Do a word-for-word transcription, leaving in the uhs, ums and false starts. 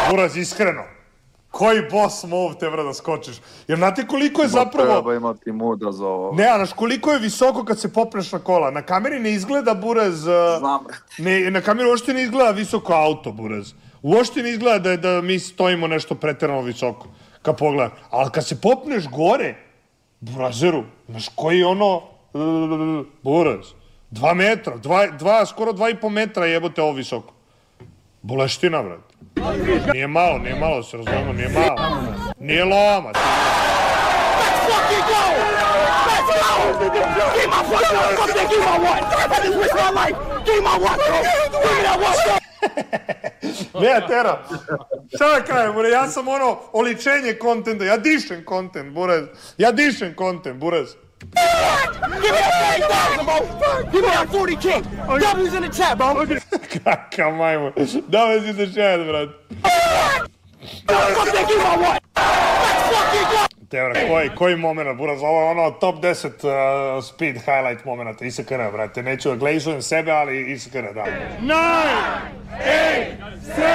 Buraz, iskreno. Koji boss move te vra da skočiš? Jer znate koliko je zapravo... Treba imati muda za ovo. Ne, a znaš koliko je visoko kad se popneš na kola? Na kameri ne izgleda, Buraz... Znam. Ne, na kameri uopšte ne izgleda visoko auto, Buraz. Uopšte ne izgleda da, da mi stojimo nešto pretjerano visoko. Kad pogledam. Ali kad se popneš gore, Burazeru, znaš koji je ono... Buraz. Dva metra, dva, dva, skoro dva i po metra jebote ovo visoko. Boleština, brad. Nije malo, nije malo, se razumemo, nije malo. Nije loma. Let's fucking go! Let's go! Give my fucking fucking give my one! I just risked my life! Give my one, bro! Give me that one, bro! Ne, Tera. Šta da krajem, Buraz, ja sam ono oličenje kontenta, ja dišem kontent, Buraz. Ja dišem kontent, Buraz. Give me that thirty thousand, bro! Give me that forty K! W's in the chat, bro! Kakav majmun. Dove si se šed, brad. Fucking give my one! Let's fucking go! Tevra, koji, koji moment, Buraz, ovo je ono top deset uh, speed highlight momenta, I S K N, brate, neću da glejzujem sebe, ali I S K N, da. nine, eight, seven,